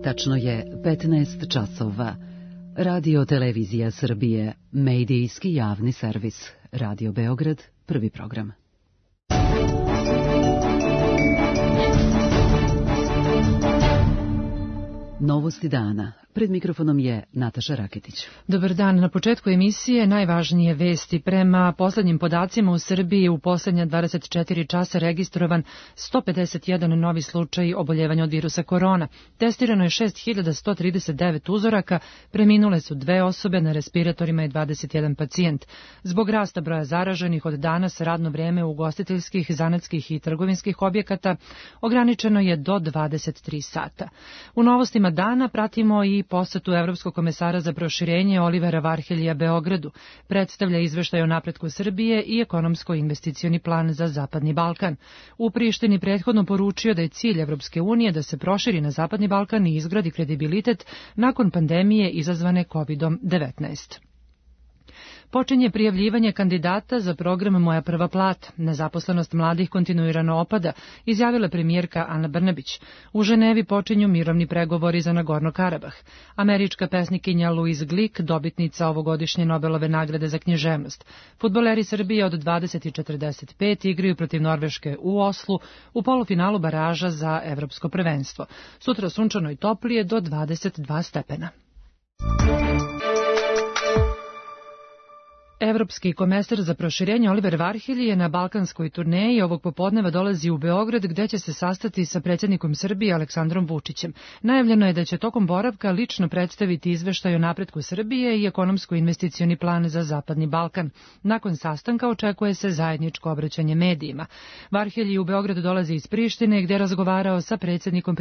Tačno je 15 časova. Radio Televizija Srbije, medijski javni servis. Radio Beograd, prvi program. Novosti dana. Pred mikrofonom je Nataša Raketić. Dobar dan. Na početku emisije najvažnije vesti. Prema poslednjim podacima u Srbiji u poslednja 24 časa registrovan 151 novi slučaj oboljevanja od virusa korona. Testirano je 6139 uzoraka, preminule su 2 osobe, na respiratorima je 21 pacijent. Zbog rasta broja zaraženih od danas radno vreme ugostiteljskih, zanatskih i trgovinskih objekata ograničeno je do 23 sata. U novostima dana pratimo i posetu Evropskog komesara za proširenje Olivera Varheljija Beogradu. Predstavlja izveštaj o napretku Srbije i ekonomsko-investicioni plan za Zapadni Balkan. U Prištini prethodno poručio da je cilj Evropske unije da se proširi na Zapadni Balkan i izgradi kredibilitet nakon pandemije izazvane COVID-19. Počinje prijavljivanje kandidata za program Moja prva plata. Nezaposlenost mladih kontinuirano opada, izjavila premijerka Ana Brnabić. U Ženevi počinju mirovni pregovori za Nagorno Karabah. Američka pesnikinja Louise Glück, dobitnica ovogodišnje Nobelove nagrade za književnost. Fudbaleri Srbije od 20:45 igraju protiv Norveške u Oslu u polufinalu baraža za evropsko prvenstvo. Sutra sunčano i toplije do 22 stepena. Evropski komesar za proširenje Oliver Varhelji je na balkanskoj turneji. Ovog popodneva dolazi u Beograd, gde će se sastati sa predsjednikom Srbije Aleksandrom Vučićem. Najavljeno je da će tokom boravka lično predstaviti izveštaj o napretku Srbije i ekonomsko-investicioni plan za Zapadni Balkan. Nakon sastanka očekuje se zajedničko obraćanje medijima. Varhelji u Beograd dolazi iz Prištine, gde je razgovarao sa predsjednikom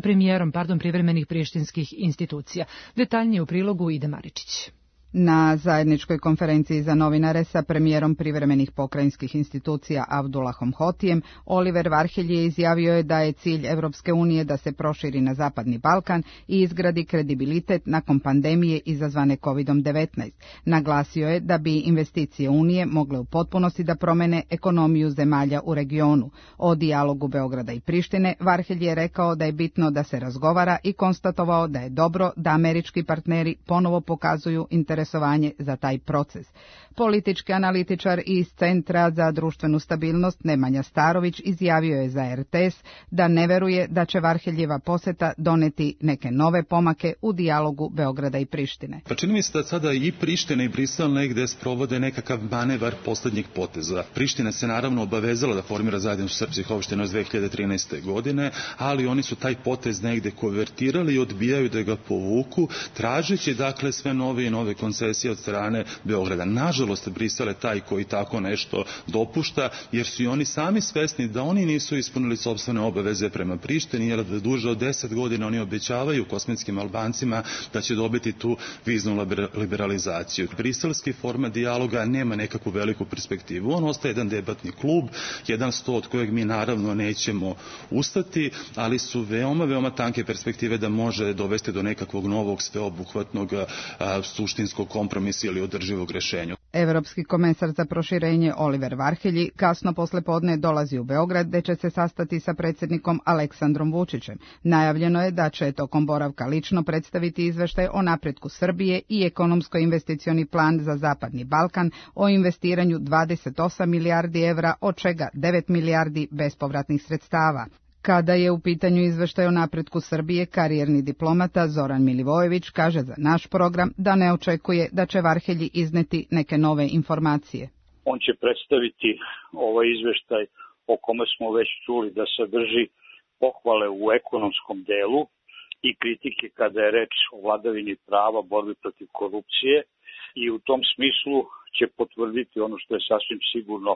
premijerom privremenih prištinskih institucija. Detaljnije u prilogu Ide Maričić. Na zajedničkoj konferenciji za novinare sa premijerom privremenih pokrajinskih institucija Avdulahom Hotijem, Oliver Varhelji izjavio je da je cilj Evropske unije da se proširi na Zapadni Balkan i izgradi kredibilitet nakon pandemije izazvane COVID-19. Naglasio je da bi investicije Unije mogle u potpunosti da promene ekonomiju zemalja u regionu. O dijalogu Beograda i Prištine Varhelji je rekao da je bitno da se razgovara i konstatovao da je dobro da američki partneri ponovo pokazuju interesovanje za taj proces. Politički analitičar iz Centra za društvenu stabilnost Nemanja Starović izjavio je za RTS da ne veruje da će Varheljeva poseta doneti neke nove pomake u dijalogu Beograda i Prištine. Pa čini mi se da sada i Priština i Brisel negde sprovode nekakav manevar poslednjeg poteza. Priština se naravno obavezala da formira zajednicu srpskih opština iz 2013. godine, ali oni su taj potez negde konvertirali i odbijaju da ga povuku, tražeći dakle sve nove i nove koncesije od strane Beograda. Nažalost, Brisel je taj koji tako nešto dopušta, jer su i oni sami svesni da oni nisu ispunili sopstvene obaveze prema Prištini, jer da duže od 10 godina oni obećavaju kosmetskim Albancima da će dobiti tu viznu liberalizaciju. Briselski format dijaloga nema nekakvu veliku perspektivu. On ostaje jedan debatni klub, jedan sto od kojeg mi naravno nećemo ustati, ali su veoma tanke perspektive da može dovesti do nekakvog novog sveobuhvatnog suštinskog kompromisa ili održivog rešenja. Evropski komesar za proširenje Oliver Varhelji kasno poslepodne dolazi u Beograd, gde će se sastati sa predsjednikom Aleksandrom Vučićem. Najavljeno je da će tokom boravka lično predstaviti izveštaj o napretku Srbije i ekonomsko-investicioni plan za Zapadni Balkan o investiranju 28 milijardi evra, od čega 9 milijardi bespovratnih sredstava. Kada je u pitanju izveštaj o napretku Srbije, karijerni diplomata Zoran Milivojević kaže za naš program da ne očekuje da će Varhelji izneti neke nove informacije. On će predstaviti ovaj izveštaj o kome smo već čuli da sadrži pohvale u ekonomskom delu i kritike kada je reč o vladavini prava, borbi protiv korupcije, i u tom smislu će potvrditi ono što je sasvim sigurno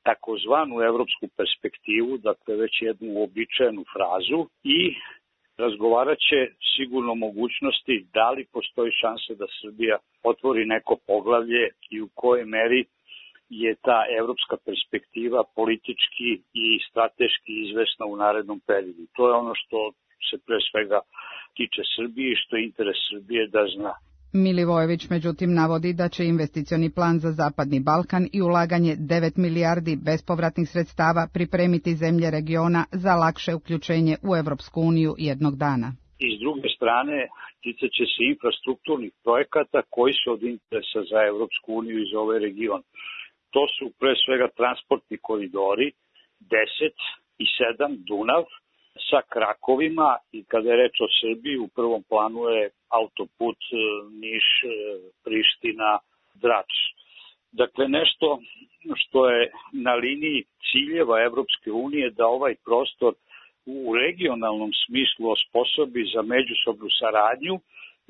takozvanu evropsku perspektivu, dakle već jednu uobičajenu frazu, i razgovarat će sigurno mogućnosti da li postoji šansa da Srbija otvori neko poglavlje i u kojoj meri je ta evropska perspektiva politički i strateški izvesna u narednom periodu. To je ono što se pre svega tiče Srbije i što je interes Srbije da zna. Milivojević međutim navodi da će investicioni plan za Zapadni Balkan i ulaganje 9 milijardi bespovratnih sredstava pripremiti zemlje regiona za lakše uključenje u Evropsku uniju jednog dana. I s druge strane, ticat će se infrastrukturnih projekata koji su od interesa za Evropsku uniju i za ovaj region. To su pre svega transportni koridori 10 i 7 Dunav sa krakovima i kada je reč o Srbiji u prvom planu je autoput Niš-Priština-Drač. Dakle, nešto što je na liniji ciljeva Evropske unije da ovaj prostor u regionalnom smislu osposobi za međusobnu saradnju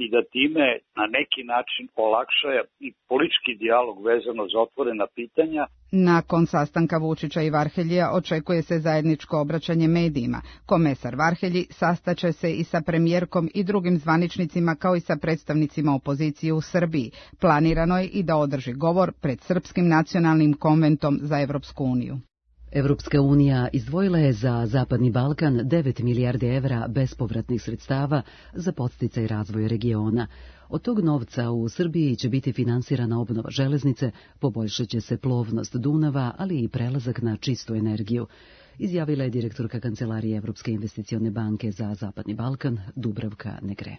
i da time na neki način olakša i politički dijalog vezano za otvorena pitanja. Nakon sastanka Vučića i Varheljija očekuje se zajedničko obraćanje medijima. Komesar Varhelji sastaće se i sa premijerkom i drugim zvaničnicima kao i sa predstavnicima opozicije u Srbiji. Planirano je i da održi govor pred Srpskim nacionalnim konventom za Evropsku uniju. Evropska unija izdvojila je za Zapadni Balkan 9 milijardi evra bespovratnih sredstava za podsticaj razvoja regiona. Od tog novca u Srbiji će biti finansirana obnova železnice, poboljšat će se plovnost Dunava, ali i prelazak na čistu energiju, izjavila je direktorka Kancelarije Evropske investicione banke za Zapadni Balkan, Dubravka Negre.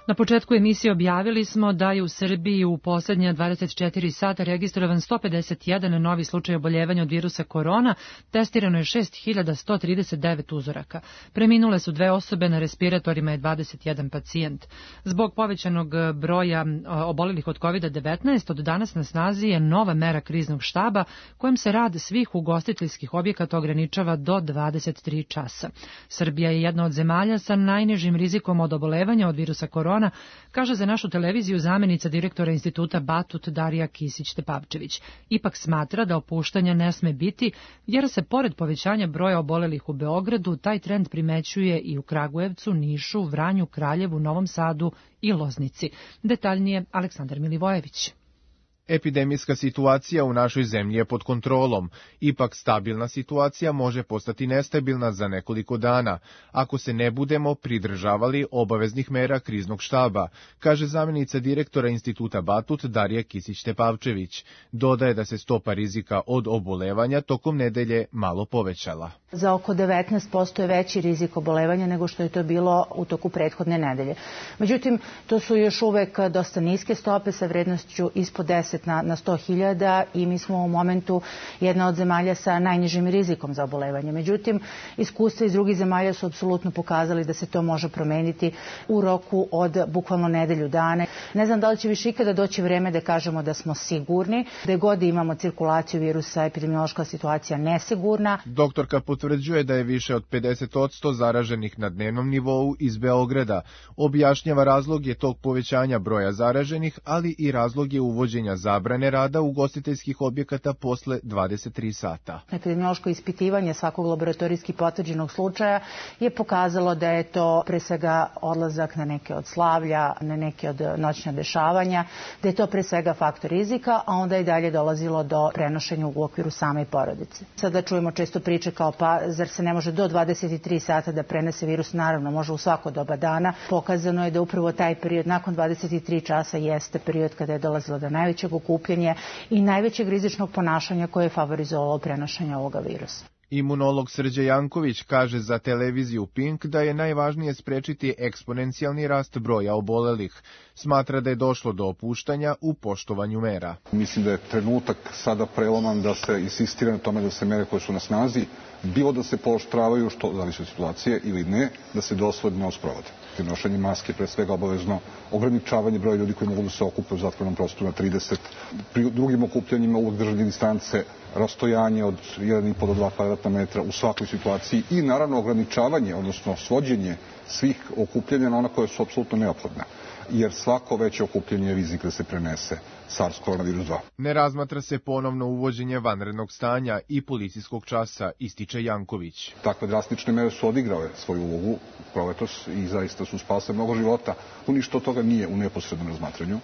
Na početku emisije objavili smo da je u Srbiji u poslednja 24 sata registrovan 151 novi slučaj oboljevanja od virusa korona, testirano je 6139 uzoraka. Preminule su 2 osobe, na respiratorima je 21 pacijent. Zbog povećanog broja obolelih od COVID-19, od danas na snazi je nova mera kriznog štaba kojom se rad svih ugostiteljskih objekata ograničava do 23 časa. Srbija je jedna od zemalja sa najnižim rizikom od obolevanja od virusa korona, kaže za našu televiziju zamenica direktora instituta Batut Darija Kisić-Tepavčević. Ipak smatra da opuštanja ne sme biti, jer se pored povećanja broja obolelih u Beogradu, taj trend primećuje i u Kragujevcu, Nišu, Vranju, Kraljevu, Novom Sadu i Loznici. Detaljnije Aleksandar Milivojević. Epidemijska situacija u našoj zemlji je pod kontrolom, ipak stabilna situacija može postati nestabilna za nekoliko dana, ako se ne budemo pridržavali obaveznih mera kriznog štaba, kaže zamenica direktora instituta Batut Darija Kisić-Tepavčević. Dodaje da se stopa rizika od obolevanja tokom nedelje malo povećala. Za oko 19% je veći rizik obolevanja nego što je to bilo u toku prethodne nedelje. Međutim, to su još uvek dosta niske stope sa vrednošću ispod 10 na 100.000 i mi smo u momentu jedna od zemalja sa najnižim rizikom za obolevanje. Međutim, iskustva iz drugih zemalja su apsolutno pokazali da se to može promeniti u roku od bukvalno nedelju dana. Ne znam da li će više ikada doći vreme da kažemo da smo sigurni, da god imamo cirkulaciju virusa, epidemiološka situacija nesigurna. Doktorka potvrđuje da je više od 50% zaraženih na dnevnom nivou iz Beograda. Objašnjava razlog je tog povećanja broja zaraženih, ali i razlog je uvođenja zabrane rada ugostiteljskih objekata posle 23 sata. Epidemiološko ispitivanje svakog laboratorijski potvrđenog slučaja je pokazalo da je to pre svega odlazak na neke od slavlja, na neke od noćna dešavanja, da je to pre svega faktor rizika, a onda i dalje dolazilo do prenošenja u okviru same porodice. Sada čujemo često priče kao pa zar se ne može do 23 sata da prenese virus? Naravno, može u svako doba dana. Pokazano je da upravo taj period nakon 23 časa jeste period kada je dolazilo do najvećeg okupljanja i najvećeg rizičnog ponašanja koje je favorizovalo prenošenje ovoga virusa. Imunolog Srđe Janković kaže za televiziju Pink da je najvažnije sprečiti eksponencijalni rast broja obolelih. Smatra da je došlo do opuštanja u poštovanju mera. Mislim da je trenutak sada preloman da se insistira na tome da se mere koje su na snazi, bilo da se pooštravaju, što zavisi od situacije ili ne, da se dosledno sprovode. Nošenje maske, pre svega obavezno ograničavanje broja ljudi koji mogu da se okupe u zatvorenom prostoru na 30. Pri drugim okupljanjima uvek držanje distance, rastojanje od 1,5 do 2 kvadratna metra u svakoj situaciji i naravno ograničavanje, odnosno svođenje svih okupljanja na ona koja su apsolutno neophodna. Jer svako veće okupljanje je rizik da se prenese SARS-CoV-2. Ne razmatra se ponovno uvođenje vanrednog stanja i policijskog časa, ističe Janković. Takve drastične mere su odigrale svoju ulogu proletos i zaista su spasile mnogo života. Ništa od toga nije u neposrednom razmatranju.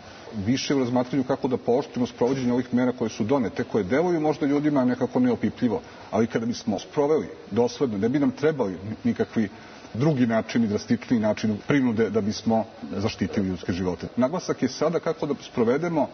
Više u razmatranju kako da pooštrimo sprovođenje ovih mera koje su donete, koje deluju možda ljudima nekako neopipljivo, ali kada bismo sproveli dosledno, ne bi nam trebali nikakvi drugi načini, drastičniji način prinude da bismo zaštitili ljudske živote. Naglasak je sada kako da sprovedemo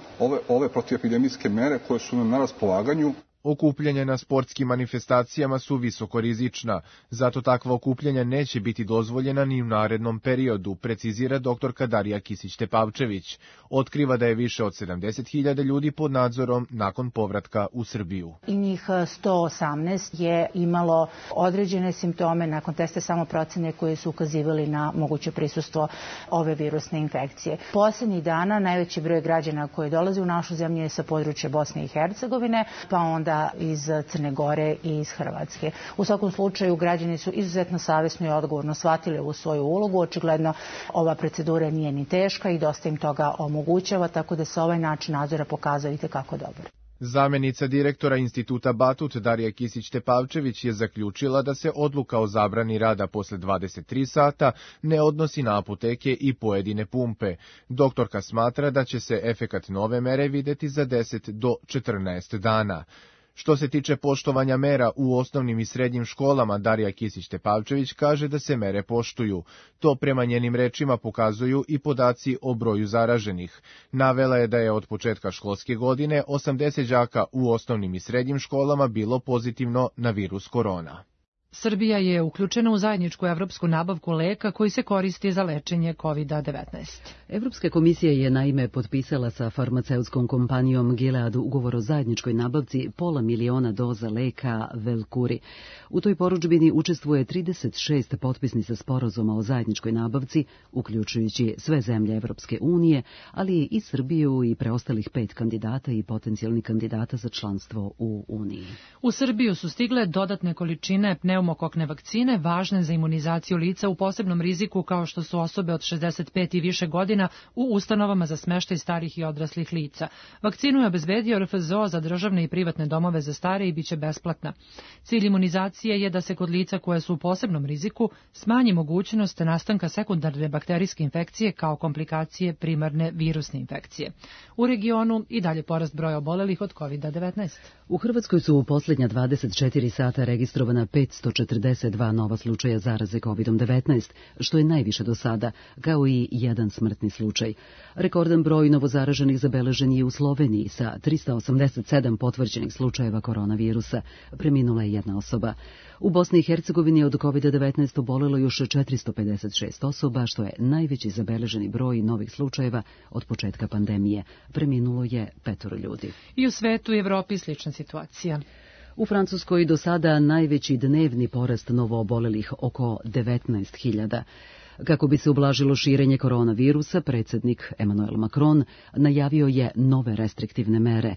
ove protivepidemijske mere koje su nam na raspolaganju. Okupljanja na sportskim manifestacijama su visokorizična, zato takva okupljanja neće biti dozvoljena ni u narednom periodu, precizira dr. Darija Kisić-Tepavčević. Otkriva da je više od 70.000 ljudi pod nadzorom nakon povratka u Srbiju. I njih 118 je imalo određene simptome nakon testa samoprocene koje su ukazivali na moguće prisustvo ove virusne infekcije. Poslednjih dana najveći broj građana koji dolaze u našu zemlju je sa područja Bosne i Hercegovine, pa onda iz Crne Gore i iz Hrvatske. U svakom slučaju građani su izuzetno savesno i odgovorno shvatili ovu svoju ulogu. Očigledno ova procedura nije ni teška i dosta im toga omogućava, tako da se ovaj način nadzora pokazao itekako dobar. Zamenica direktora Instituta Batut Darija Kisić-Tepavčević je zaključila da se odluka o zabrani rada posle 23 sata ne odnosi na apoteke i pojedine pumpe. Doktorka smatra da će se efekat nove mere videti za 10 do 14 dana. Što se tiče poštovanja mera u osnovnim i srednjim školama, Darija Kisić-Tepavčević kaže da se mere poštuju. To prema njenim rečima pokazuju i podaci o broju zaraženih. Navela je da je od početka školske godine 80 đaka u osnovnim i srednjim školama bilo pozitivno na virus korona. Srbija je uključena u zajedničku evropsku nabavku leka koji se koristi za lečenje COVID-19. Evropska komisija je naime potpisala sa farmaceutskom kompanijom Gilead ugovor o zajedničkoj nabavci 500.000 doza leka Velcuri. U toj porudžbini učestvuje 36 potpisnica sporazuma o zajedničkoj nabavci, uključujući sve zemlje Evropske unije, ali i Srbiju i preostalih 5 kandidata i potencijalnih kandidata za članstvo u Uniji. U Srbiju su stigle dodatne količine pneumokokne vakcine važne za imunizaciju lica u posebnom riziku kao što su osobe od 65 i više godina u ustanovama za smeštaj starih i odraslih lica. Vakcinu je obezbedio RFZO za državne i privatne domove za stare i biće besplatna. Cilj imunizacije je da se kod lica koje su u posebnom riziku smanji mogućnost nastanka sekundarne bakterijske infekcije kao komplikacije primarne virusne infekcije. U regionu i dalje porast broja obolelih od COVID-19. U Hrvatskoj su u posljednja 24 sata registrovana 542 nova slučaja zaraze COVID-19, što je najviše do sada, kao i jedan smrtni slučaj. Rekordan broj novozaraženih zabeležen je u Sloveniji sa 387 potvrđenih slučajeva koronavirusa. Preminula je jedna osoba. U Bosni i Hercegovini od COVID-19 obolelo još 456 osoba, što je najveći zabeleženi broj novih slučajeva od početka pandemije. Preminulo je 5 ljudi. I u svetu i Evropi slična situacija. U Francuskoj do sada najveći dnevni porast novoobolelih, oko 19.000. Kako bi se ublažilo širenje koronavirusa, predsjednik Emmanuel Macron najavio je nove restriktivne mere.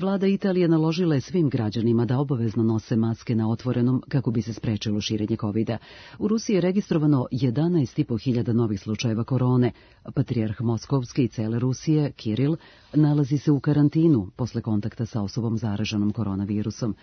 Vlada Italije naložila je svim građanima da obavezno nose maske na otvorenom kako bi se sprečilo širenje covida. U Rusiji je registrovano 11.500 novih slučajeva korone. Patrijarh Moskovski i cele Rusije, Kiril, nalazi se u karantinu posle kontakta sa osobom zaraženom koronavirusom.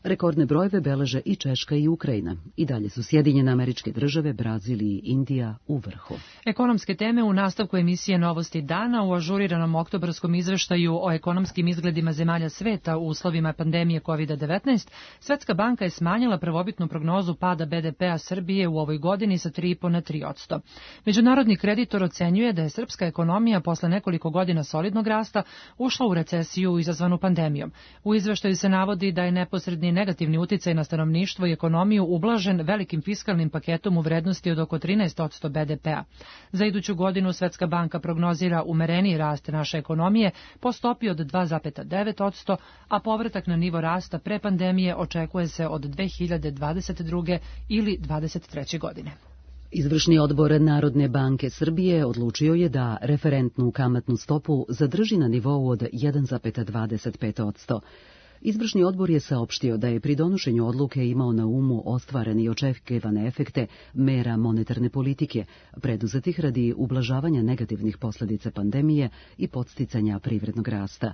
Rekordne brojeve beleže i Češka i Ukrajina. I dalje su Sjedinjene Američke Države, Brazil i Indija u vrhu. Ekonomske teme u nastavku emisije Novosti dana u ažuriranom oktobarskom izveštaju o ekonomskim izgledima zemalja sveta u uslovima pandemije COVID-19, Svetska banka je smanjila prvobitnu prognozu pada BDP-a Srbije u ovoj godini sa 3,5 na 3%. Međunarodni kreditor ocenjuje da je srpska ekonomija posle nekoliko godina solidnog rasta ušla u recesiju izazvanu pandemijom. U izveštaju se navodi da je neposredni negativni uticaj na stanovništvo i ekonomiju ublažen velikim fiskalnim paketom u vrednosti od oko 13% BDP-a. Za iduću godinu Svetska banka prognozira umereniji rast naše ekonomije po stopi od 2,9%, a povratak na nivo rasta pre pandemije očekuje se od 2022. ili 2023. godine. Izvršni odbor Narodne banke Srbije odlučio je da referentnu kamatnu stopu zadrži na nivou od 1,25%. Izvršni odbor je saopštio da je pri donošenju odluke imao na umu ostvarene i očekivane efekte mera monetarne politike, preduzetih radi ublažavanja negativnih posljedica pandemije i podsticanja privrednog rasta.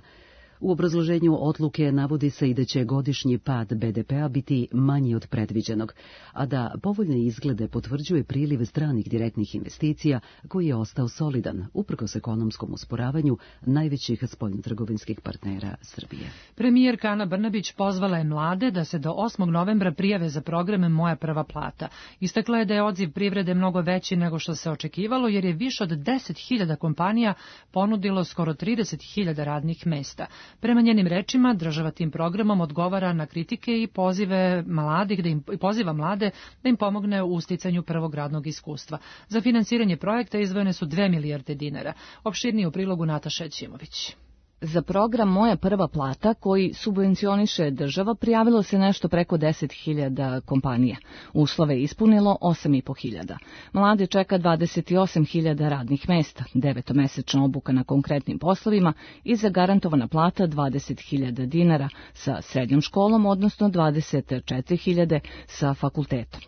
U obrazloženju odluke navodi se i da će godišnji pad BDP-a biti manji od predviđenog, a da povoljne izglede potvrđuje priliv stranih direktnih investicija koji je ostao solidan, uprkos ekonomskom usporavanju najvećih spoljnotrgovinskih partnera Srbije. Premijerka Ana Brnabić pozvala je mlade da se do 8. novembra prijave za program Moja prva plata. Istakla je da je odziv privrede mnogo veći nego što se očekivalo, jer je više od 10.000 kompanija ponudilo skoro 30.000 radnih mesta. Prema njenim rečima, država tim programom odgovara na kritike i poziva mlade da im pomogne u sticanju prvog radnog iskustva. Za finansiranje projekta izdvojene su 2 milijarde dinara. Opširnije u prilogu Nataša Ćimović. Za program Moja prva plata, koji subvencioniše država, prijavilo se nešto preko 10.000 kompanija. Uslove je ispunilo 8.500. Mlade čeka 28.000 radnih mesta, 9-mesečna obuka na konkretnim poslovima i zagarantovana plata 20.000 dinara sa srednjom školom, odnosno 24.000 sa fakultetom.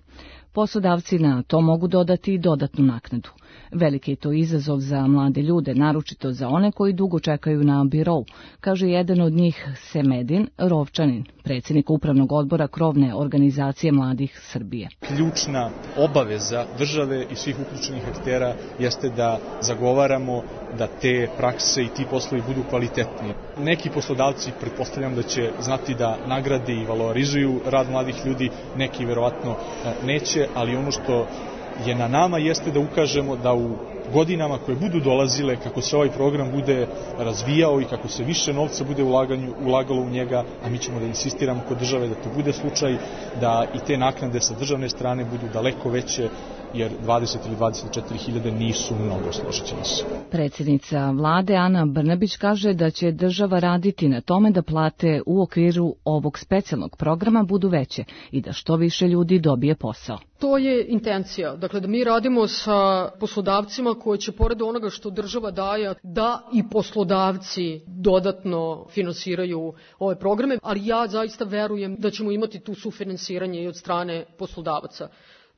Poslodavci na to mogu dodati i dodatnu naknadu. Veliki je to izazov za mlade ljude, naročito za one koji dugo čekaju na birou, kaže jedan od njih Semedin Rovčanin, predsjednik upravnog odbora krovne organizacije mladih Srbije. Ključna obaveza države i svih uključenih aktera jeste da zagovaramo da te prakse i ti poslovi budu kvalitetni. Neki poslodavci pretpostavljam da će znati da nagrade i valorizuju rad mladih ljudi, neki verovatno neće, ali ono što je na nama jeste da ukažemo da u godinama koje budu dolazile, kako se ovaj program bude razvijao i kako se više novca bude ulagalo u njega, a mi ćemo da insistiramo kod države da to bude slučaj, da i te naknade sa državne strane budu daleko veće, jer 20 ili 24.000 nisu mnogo, složićemo se. Predsjednica vlade Ana Brnabić kaže da će država raditi na tome da plate u okviru ovog specijalnog programa budu veće i da što više ljudi dobije posao. To je intencija, dakle da mi radimo sa poslodavcima koji će pored onoga što država daje, da i poslodavci dodatno finansiraju ove programe, ali ja zaista verujem da ćemo imati tu sufinansiranje i od strane poslodavaca.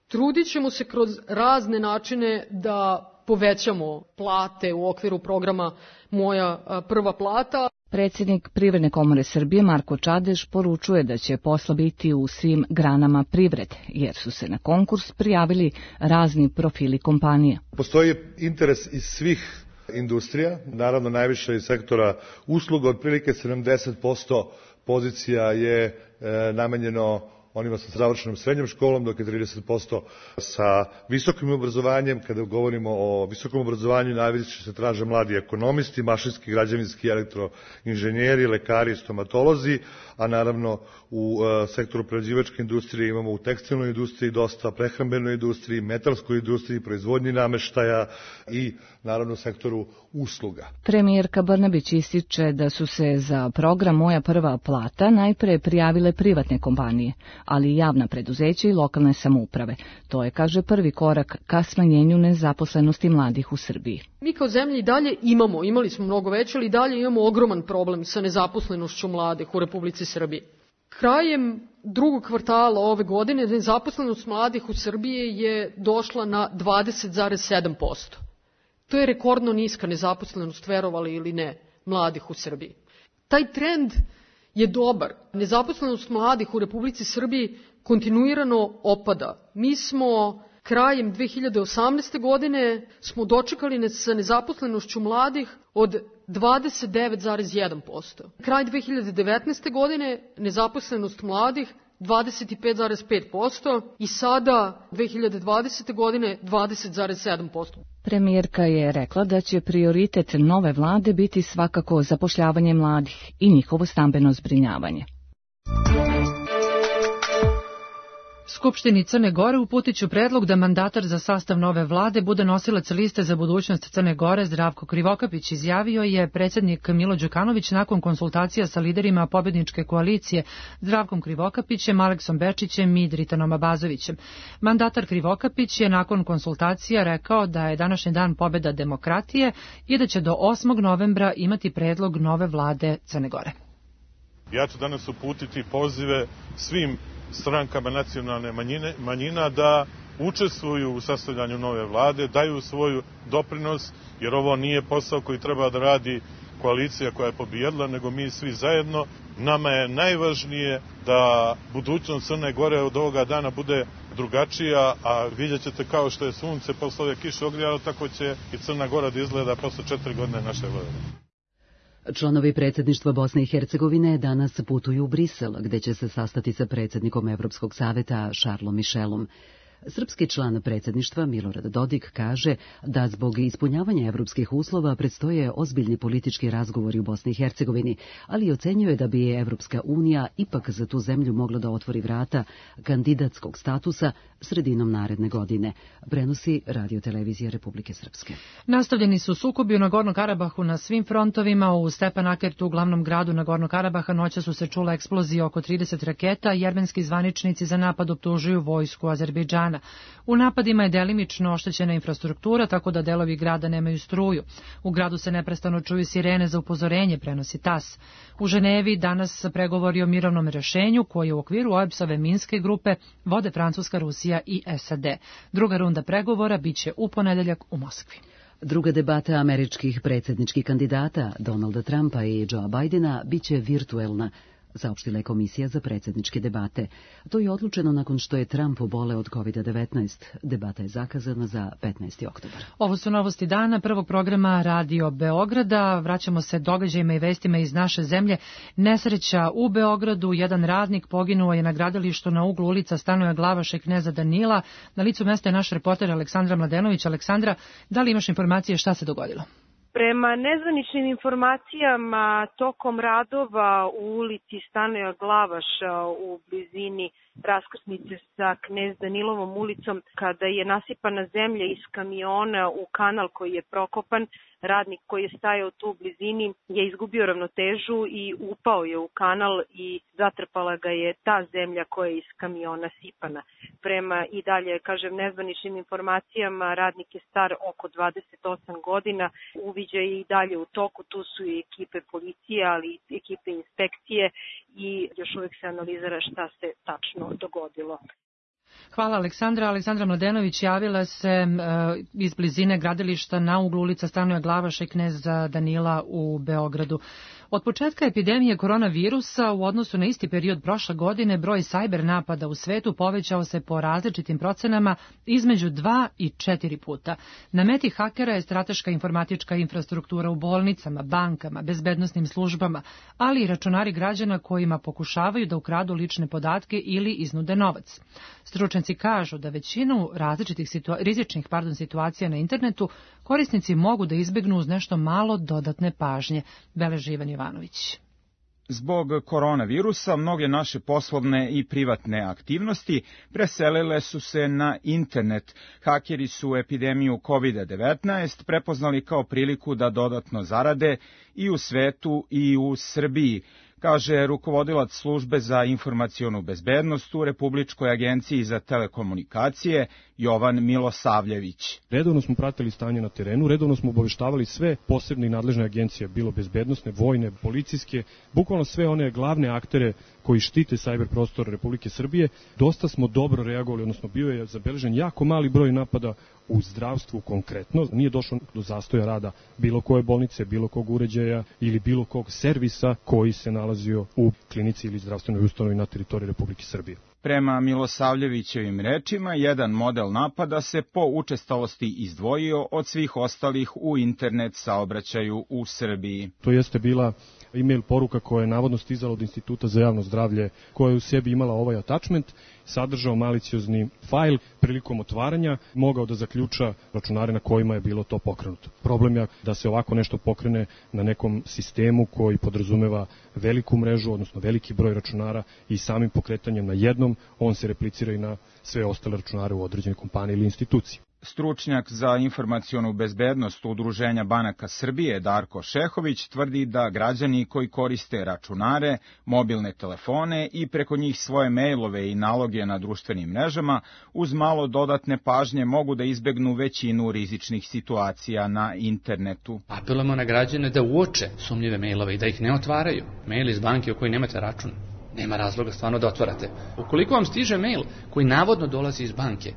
Trudit ćemo se kroz razne načine da povećamo plate u okviru programa Moja prva plata. Predsjednik Privredne komore Srbije Marko Čadež poručuje da će posla biti u svim granama privrede, jer su se na konkurs prijavili razni profili kompanija. Postoji interes iz svih industrija, naravno najviše iz sektora usluga, otprilike 70% pozicija je namenjeno onima sa završenom srednjom školom, dok je 30% sa visokim obrazovanjem. Kada govorimo o visokom obrazovanju, najviše se traže mladi ekonomisti, mašinski, građevinski, elektroinženjeri, lekari, stomatolozi, a naravno u sektoru prerađivačke industrije imamo u tekstilnoj industriji dosta, prehrambenoj industriji, metalskoj industriji, proizvodnji nameštaja i naravno u sektoru usluga. Premijerka Brnabić ističe da su se za program Moja prva plata najpre prijavile privatne kompanije, ali i javna preduzeća i lokalne samouprave. To je, kaže, prvi korak ka smanjenju nezaposlenosti mladih u Srbiji. Mi kao zemlja i dalje imali smo mnogo veće, ali i dalje imamo ogroman problem sa nezaposlenošću mladih u Republici Srbiji. Krajem drugog kvartala ove godine nezaposlenost mladih u Srbiji je došla na 20,7%. To je rekordno niska nezaposlenost, verovali ili ne, mladih u Srbiji. Taj trend je dobar. Nezaposlenost mladih u Republici Srbiji kontinuirano opada. Mi smo krajem 2018. godine smo dočekali sa nezaposlenošću mladih od 29,1%. Kraj 2019. godine nezaposlenost mladih 25,5% i sada 2020. godine 20,7%. Premijerka je rekla da će prioritet nove vlade biti svakako zapošljavanje mladih i njihovo stambeno zbrinjavanje. Skupštini Crne Gore uputit ću predlog da mandatar za sastav nove vlade bude nosilac liste za budućnost Crne Gore. Zdravko Krivokapić izjavio je predsjednik Milo Đukanović nakon konsultacija sa liderima pobjedničke koalicije Zdravkom Krivokapićem, Aleksom Bečićem i Dritanom Abazovićem. Mandatar Krivokapić je nakon konsultacija rekao da je današnji dan pobjeda demokratije i da će do 8. novembra imati predlog nove vlade Crne Gore. Ja ću danas uputiti pozive svim strankama nacionalne manjina da učestvuju u sastavljanju nove vlade, daju svoju doprinos, jer ovo nije posao koji treba da radi koalicija koja je pobijedila, nego mi svi zajedno. Nama je najvažnije da budućnost Crne Gore od ovoga dana bude drugačija, a vidjet ćete kao što je sunce posle ove kiše ogrijalo, tako će i Crna Gora da izgleda posle 4 godine naše vladavine. Članovi predsjedništva Bosne i Hercegovine danas putuju u Brisel, gde će se sastati sa predsjednikom Evropskog saveta Charlesom Michelom. Srpski član predsjedništva Milorad Dodik kaže da zbog ispunjavanja evropskih uslova predstoje ozbiljni politički razgovori u Bosni i Hercegovini, ali ocenjuje da bi Evropska unija ipak za tu zemlju mogla da otvori vrata kandidatskog statusa sredinom naredne godine, prenosi Radio-televizija Republike Srpske. Nastavljeni su sukobi u Nagorno Karabahu na svim frontovima. U Stepanakertu, u glavnom gradu Nagorno Karabaha, noća su se čule eksplozije oko 30 raketa. Jermenski zvaničnici za napad optužuju vojsku Azerbejdžana. U napadima je delimično oštećena infrastruktura, tako da delovi grada nemaju struju. U gradu se neprestano čuju sirene za upozorenje, prenosi TAS. U Ženevi danas pregovori o mirovnom rešenju koji u okviru OEBS-ove Minske grupe vode Francuska, Rusija i SAD. Druga runda pregovora biće u ponedeljak u Moskvi. Druga debata američkih predsjedničkih kandidata Donalda Trumpa i Joea Bidena biće virtuelna, saopštila je Komisija za predsjedničke debate. To je odlučeno nakon što je Trump oboleo od COVID-19. Debata je zakazana za 15. oktobar. Ovo su novosti dana prvog programa Radio Beograda. Vraćamo se događajima i vestima iz naše zemlje. Nesreća u Beogradu. Jedan radnik poginuo je na gradilištu na uglu ulica Stanoja Glavaša i Kneza Danila. Na licu mesta je naš reporter Aleksandra Mladenović. Aleksandra, da li imaš informacije šta se dogodilo? Prema nezvaničnim informacijama, tokom radova u ulici Stanoja Glavaša u blizini raskrsnice sa Knez Danilovom ulicom, kada je nasipana zemlja iz kamiona u kanal koji je prokopan, radnik koji je stajao tu u blizini je izgubio ravnotežu i upao je u kanal i zatrpala ga je ta zemlja koja je iz kamiona sipana. Prema i dalje, kažem, nezvaničnim informacijama, radnik je star oko 28 godina, uviđaj je i dalje u toku, tu su i ekipe policije, ali i ekipe inspekcije i još uvijek se analizira šta se tačno dogodilo. Hvala Aleksandra. Aleksandra Mladenović javila se iz blizine gradilišta na uglu ulica Stanoja Glavaša i Kneza Danila u Beogradu. Od početka epidemije koronavirusa u odnosu na isti period prošle godine broj sajber napada u svetu povećao se po različitim procenama između 2 i 4 puta. Na meti hakera je strateška informatička infrastruktura u bolnicama, bankama, bezbednosnim službama, ali i računari građana kojima pokušavaju da ukradu lične podatke ili iznude novac. Stručnjaci kažu da većinu različitih rizičnih situacija na internetu korisnici mogu da izbegnu uz nešto malo dodatne pažnje, beleži Ivan Jovanović. Zbog koronavirusa mnoge naše poslovne i privatne aktivnosti preselile su se na internet. Hakeri su epidemiju COVID-19 prepoznali kao priliku da dodatno zarade i u svetu i u Srbiji, kaže rukovodilac službe za informacionu bezbednost u Republičkoj agenciji za telekomunikacije Jovan Milosavljević. Redovno smo pratili stanje na terenu, redovno smo obaveštavali sve posebne i nadležne agencije, bilo bezbednosne, vojne, policijske, bukvalno sve one glavne aktere koji štite sajber prostor Republike Srbije. Dosta smo dobro reagovali, odnosno bio je zabeležen jako mali broj napada u zdravstvu konkretno. Nije došlo do zastoja rada bilo koje bolnice, bilo kog uređaja ili bilo kog servisa koji se nalazio u klinici ili zdravstvenoj ustanovi na teritoriji Republike Srbije. Prema Milosavljevićevim rečima, jedan model napada se po učestalosti izdvojio od svih ostalih u internet saobraćaju u Srbiji. To jeste bila e-mail poruka koja je navodno stizala od Instituta za javno zdravlje, koja je u sebi imala ovaj attachment, sadržao maliciozni fajl, prilikom otvaranja mogao da zaključa računare na kojima je bilo to pokrenuto. Problem je da se ovako nešto pokrene na nekom sistemu koji podrazumeva veliku mrežu, odnosno veliki broj računara i samim pokretanjem na jednom, on se replicira i na sve ostale računare u određenoj kompaniji ili instituciji. Stručnjak za informacionu bezbednost Udruženja banaka Srbije Darko Šehović tvrdi da građani koji koriste računare, mobilne telefone i preko njih svoje mailove i naloge na društvenim mrežama uz malo dodatne pažnje mogu da izbegnu većinu rizičnih situacija na internetu. Apelujemo na građane da uoče sumnjive mailove i da ih ne otvaraju. Mail iz banke u kojoj nemate račun. Nema razloga stvarno da otvarate. Ukoliko vam stiže mail koji navodno dolazi iz banke,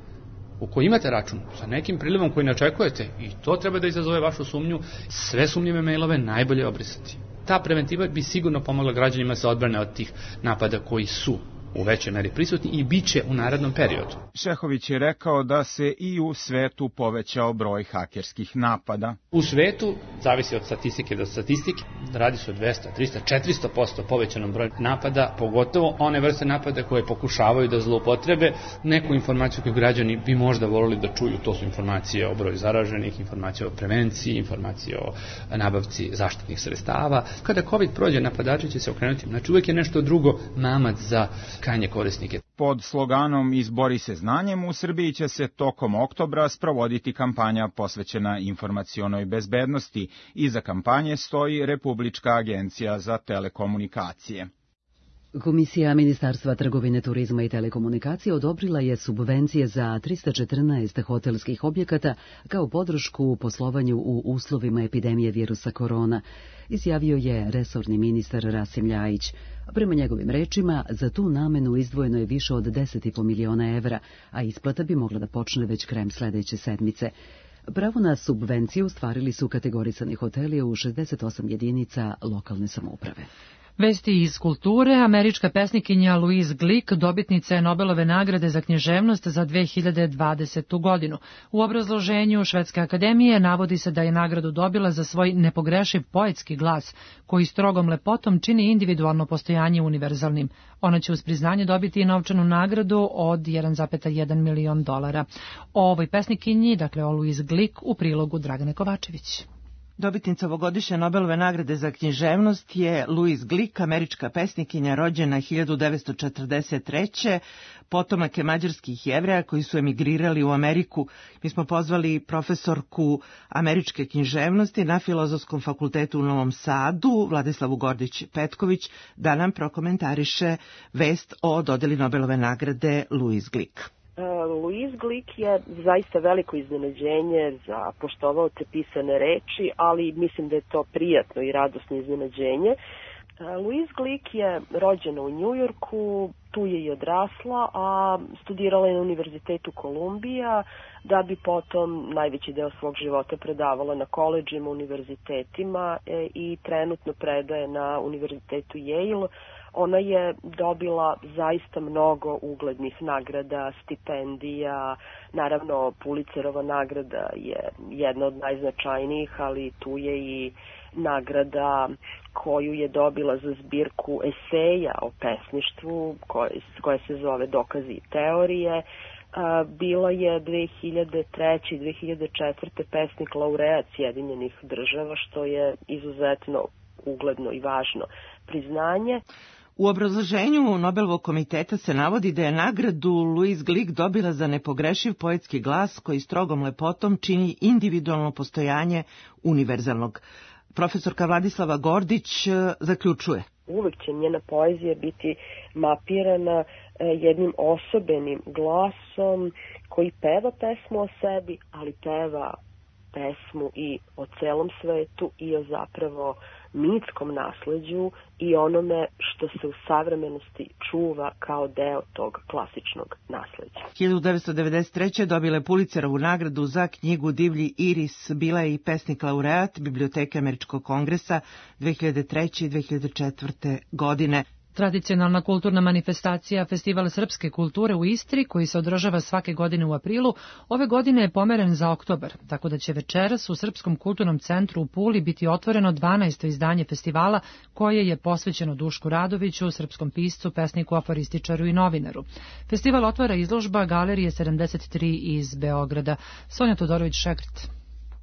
u kojoj imate račun sa nekim prilivom koji ne očekujete i to treba da izazove vašu sumnju, sve sumnjive mailove najbolje obrisati. Ta preventiva bi sigurno pomogla građanima se odbrane od tih napada koji su u većoj meri prisutni i bit će u narednom periodu. Šehović je rekao da se i u svetu povećao broj hakerskih napada. U svetu, zavisi od statistike do statistike, radi se o 200, 300, 400% povećanom broju napada, pogotovo one vrste napada koje pokušavaju da zloupotrebe neku informaciju koju građani bi možda volili da čuju. To su informacije o broju zaraženih, informacije o prevenciji, informacije o nabavci zaštitnih sredstava. Kada COVID prođe, napadači će se okrenuti. Znači uvek je nešto drugo mamac za krajnje korisnike. Pod sloganom Izbori se znanjem u Srbiji će se tokom oktobra sprovoditi kampanja posvećena informacionoj bezbednosti. Iza kampanje stoji Republička agencija za telekomunikacije. Komisija Ministarstva trgovine, turizma i telekomunikacije odobrila je subvencije za 314 hotelskih objekata kao podršku u poslovanju u uslovima epidemije virusa korona, izjavio je resorni ministar Rasim Ljajić. Prema njegovim rečima, za tu namenu izdvojeno je više od 10,5 miliona evra, a isplata bi mogla da počne već krajem sledeće sedmice. Pravo na subvenciju ostvarili su kategorisani hoteli u 68 jedinica lokalne samouprave. Vesti iz kulture. Američka pesnikinja Louise Glick dobitnica je Nobelove nagrade za književnost za 2020. godinu. U obrazloženju Švedske akademije navodi se da je nagradu dobila za svoj nepogrešiv poetski glas, koji strogom lepotom čini individualno postojanje univerzalnim. Ona će uz priznanje dobiti i novčanu nagradu od $1,1 milion. O ovoj pesnikinji, dakle o Louise Glick, u prilogu Dragane Kovačević. Dobitnica ovogodišnje Nobelove nagrade za književnost je Louise Glick, američka pesnikinja rođena 1943. Potomak je mađarskih Jevreja koji su emigrirali u Ameriku. Mi smo pozvali profesorku američke književnosti na Filozofskom fakultetu u Novom Sadu, Vladislavu Gordić-Petković, da nam prokomentariše vest o dodeli Nobelove nagrade Louise Glick. Louise Glick je zaista veliko iznenađenje za poštovaoce pisane reči, ali mislim da je to prijatno i radosno iznenađenje. Louise Glick je rođena u Njujorku, tu je i odrasla, a studirala je na Univerzitetu Kolumbija, da bi potom najveći deo svog života predavala na koledžima, univerzitetima i trenutno predaje na Univerzitetu Yale. Ona je dobila zaista mnogo uglednih nagrada, stipendija, naravno Pulitzerova nagrada je jedna od najznačajnijih, ali tu je i nagrada koju je dobila za zbirku eseja o pesništvu, koja se zove Dokazi i teorije. Bila je 2003. i 2004. pesnik laureat Sjedinjenih država, što je izuzetno ugledno i važno priznanje. U obrazloženju Nobelovog komiteta se navodi da je nagradu Louise Glick dobila za nepogrešiv poetski glas koji strogom lepotom čini individualno postojanje univerzalnog. Profesorka Vladislava Gordić zaključuje. Uvek će njena poezija biti mapirana jednim osobenim glasom koji peva pesmu o sebi, ali peva pesmu i o celom svetu i o zapravo mitskom nasleđu i onome što se u savremenosti čuva kao deo tog klasičnog nasleđa. 1993. dobila je Pulitzerovu nagradu za knjigu Divlji iris, bila je i pesnik laureat Biblioteke Američkog kongresa 2003. i 2004. godine. Tradicionalna kulturna manifestacija Festival srpske kulture u Istri, koji se održava svake godine u aprilu, ove godine je pomeren za oktobar, tako da će večeras u Srpskom kulturnom centru u Puli biti otvoreno 12. izdanje festivala, koje je posvećeno Dušku Radoviću, srpskom piscu, pesniku, aforističaru i novinaru. Festival otvara izložba Galerije 73 iz Beograda. Sonja Todorović-Šekret.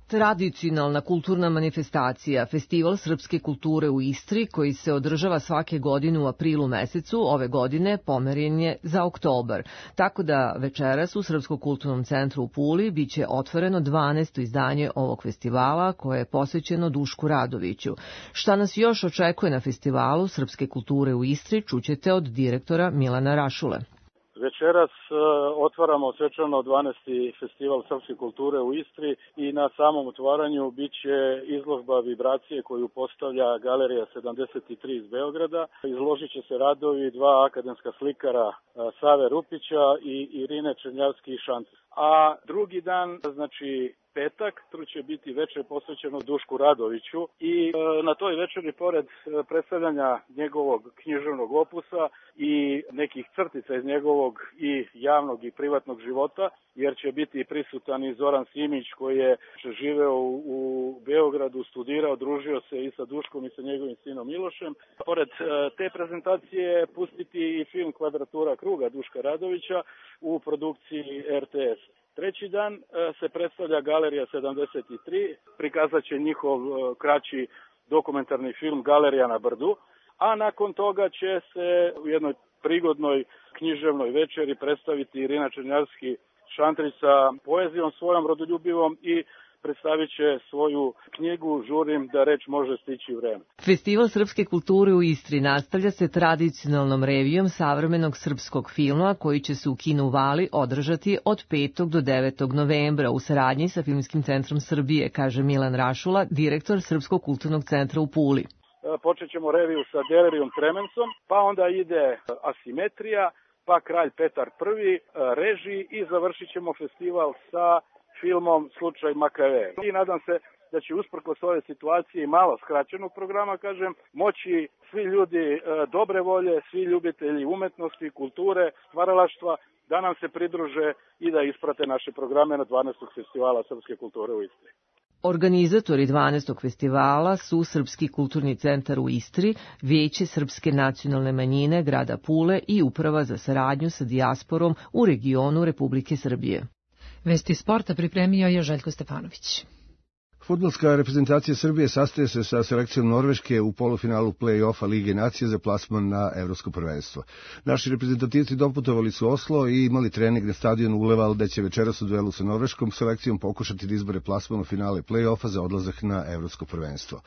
Tradicionalna kulturna manifestacija Festival srpske kulture u Istri, koji se održava svake godine u aprilu mesecu, ove godine pomeren je za oktobar. Tako da večeras u Srpskom kulturnom centru u Puli biće otvoreno 12. izdanje ovog festivala, koje je posvećeno Dušku Radoviću. Šta nas još očekuje na Festivalu srpske kulture u Istri, čućete od direktora Milana Rašule. Večeras otvaramo svečano 12. festival srpske kulture u Istri i na samom otvaranju bit će izložba vibracije koju postavlja Galerija 73 iz Beograda. Izložit će se radovi dva akademska slikara Save Rupića i Irine Černjavski-Šanc. A drugi dan, znači petak, će biti večer posvećeno Dušku Radoviću i na toj večeri, pored predstavljanja njegovog književnog opusa i nekih crtica iz njegovog i javnog i privatnog života, jer će biti prisutan i Zoran Simić koji je živeo u Beogradu, studirao, družio se i sa Duškom i sa njegovim sinom Milošem. Pored te prezentacije pustiti i film Kvadratura kruga Duška Radovića u produkciji RTS. Treći dan se predstavlja Galerija 73, prikazat će njihov kraći dokumentarni film Galerija na brdu, a nakon toga će se u jednoj prigodnoj književnoj večeri predstaviti Irina Černjavski-Šantrić sa poezijom svojom rodoljubivom i predstavit će svoju knjigu Žurim da reč može stići vreme. Festival srpske kulture u Istri nastavlja se tradicionalnom revijom savremenog srpskog filma koji će se u kinu Vali održati od 5. do 9. novembra u saradnji sa Filmskim centrom Srbije, kaže Milan Rašula, direktor Srpskog kulturnog centra u Puli. Počet ćemo reviju sa Delerijom Tremensom, pa onda ide Asimetrija, pa Kralj Petar I, režiji i završit ćemo festival sa filmom Slučaj Makave. I nadam se da će usprkos ove situacije i malo skraćenog programa, kažem, moći svi ljudi dobre volje, svi ljubitelji umetnosti, kulture, stvaralaštva, da nam se pridruže i da isprate naše programe na 12. festivala srpske kulture u Istri. Organizatori 12. festivala su Srpski kulturni centar u Istri, Vijeće Srpske nacionalne manjine grada Pule i Uprava za saradnju sa dijasporom u regionu Republike Srbije. Vesti sporta pripremio je Željko Stefanović. Fudbalska reprezentacija Srbije sastaje se sa selekcijom Norveške u polufinalu play-offa Lige nacije za plasman na evropsko prvenstvo. Naši reprezentativci doputovali su Oslo i imali trening na stadionu Uleval, gde će večeras u duelu sa norveškom selekcijom pokušati da izbore plasman u finale play-offa za odlazak na evropsko prvenstvo.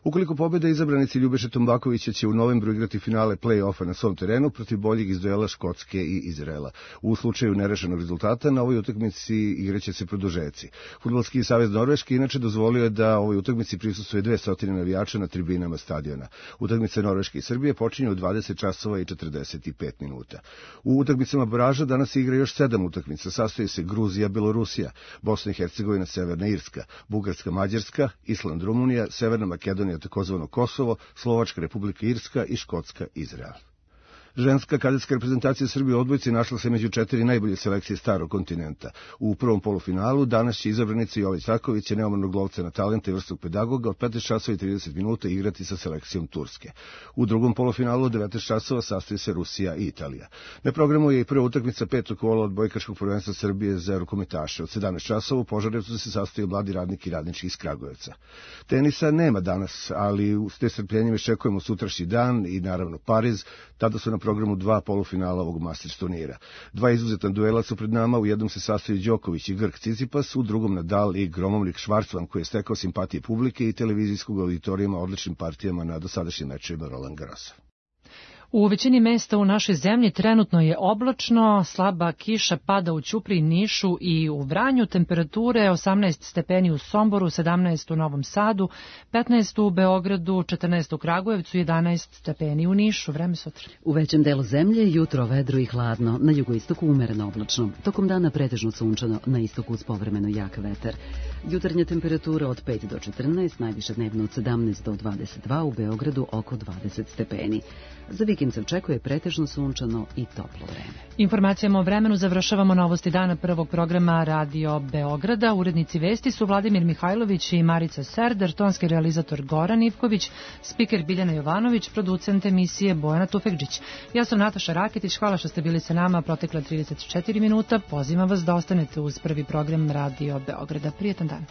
Ukoliko pobede, izabranici Ljubeše Tombakovića će u novembru igrati finale play-offa na svom terenu protiv boljih iz duela Škotske i Izraela. U slučaju nerešenog rezultata na ovoj utakmici igraće se produžeci. Fudbalski savez Norveške inače dozvolio je da ovoj utakmici prisustvuje 200 navijača na tribinama stadiona. Utakmice Norveške i Srbije počinju u 20 časova i 45 minuta. U utakmicama baraža danas igra još 7 utakmica. Sastoji se Gruzija, Belorusija, Bosna i Hercegovina, Severna Irska, Bugarska, Mađarska, Island, Rumunija, Severna Makedonija, takozvano Kosovo, Slovačka Republika Irska i Škotska Izrael. Ženska kadetska reprezentacija Srbije u odbojci našla se među 4 najbolje selekcije starog kontinenta. U prvom polufinalu danas će izabranica Jović Raković, neomornog lovca na talenta i vrstog pedagoga, od 15 časova i 30 minuta igrati sa selekcijom Turske. U drugom polufinalu od 19 časova sastoji se Rusija i Italija. Na programu je i prva utakmica 5. kola odbojkaškog prvenstva Srbije za rukometaše. Od 17 časova u Požarevcu se sastoji mladi radnik i radnički iz Kragujevca. Tenisa nema danas, ali s nestrpljenjem iščekujemo sutrašnji dan i naravno Pariz. Tada su na programu 2 polufinala ovog Masters turnira. 2 izuzetna duela su pred nama, u jednom se sastoji Đoković i Grk Cicipas, u drugom Nadal i gromovnik Švarcman koji je stekao simpatije publike i televizijskog auditorijuma odličnim partijama na dosadašnjim mečevima Roland Garrosa. U većini mesta u našoj zemlji trenutno je oblačno, slaba kiša pada u Ćupriji, Nišu i u Vranju, temperature 18 stepeni u Somboru, 17 u Novom Sadu, 15 u Beogradu, 14 u Kragujevcu, 11 stepeni u Nišu. Vreme sutra. U većem delu zemlje jutro vedro i hladno, na jugoistoku umereno oblačno, tokom dana pretežno sunčano, na istoku uz povremeno jak vetar. Jutarnja temperatura od 5 do 14, najviše dnevno od 17 do 22, u Beogradu oko 20 stepeni. Za vikend se očekuje pretežno sunčano i toplo vreme. Informacijama o vremenu završavamo novosti dana prvog programa Radio Beograda. Urednici vesti su Vladimir Mihajlović i Marica Serder, tonski realizator Goran Ivković, spiker Biljana Jovanović, producent emisije Bojana Tufekđić. Ja sam Nataša Raketić, hvala što ste bili sa nama protekla 34 minuta. Pozivam vas da ostanete uz prvi program Radio Beograda. Prijetan dan.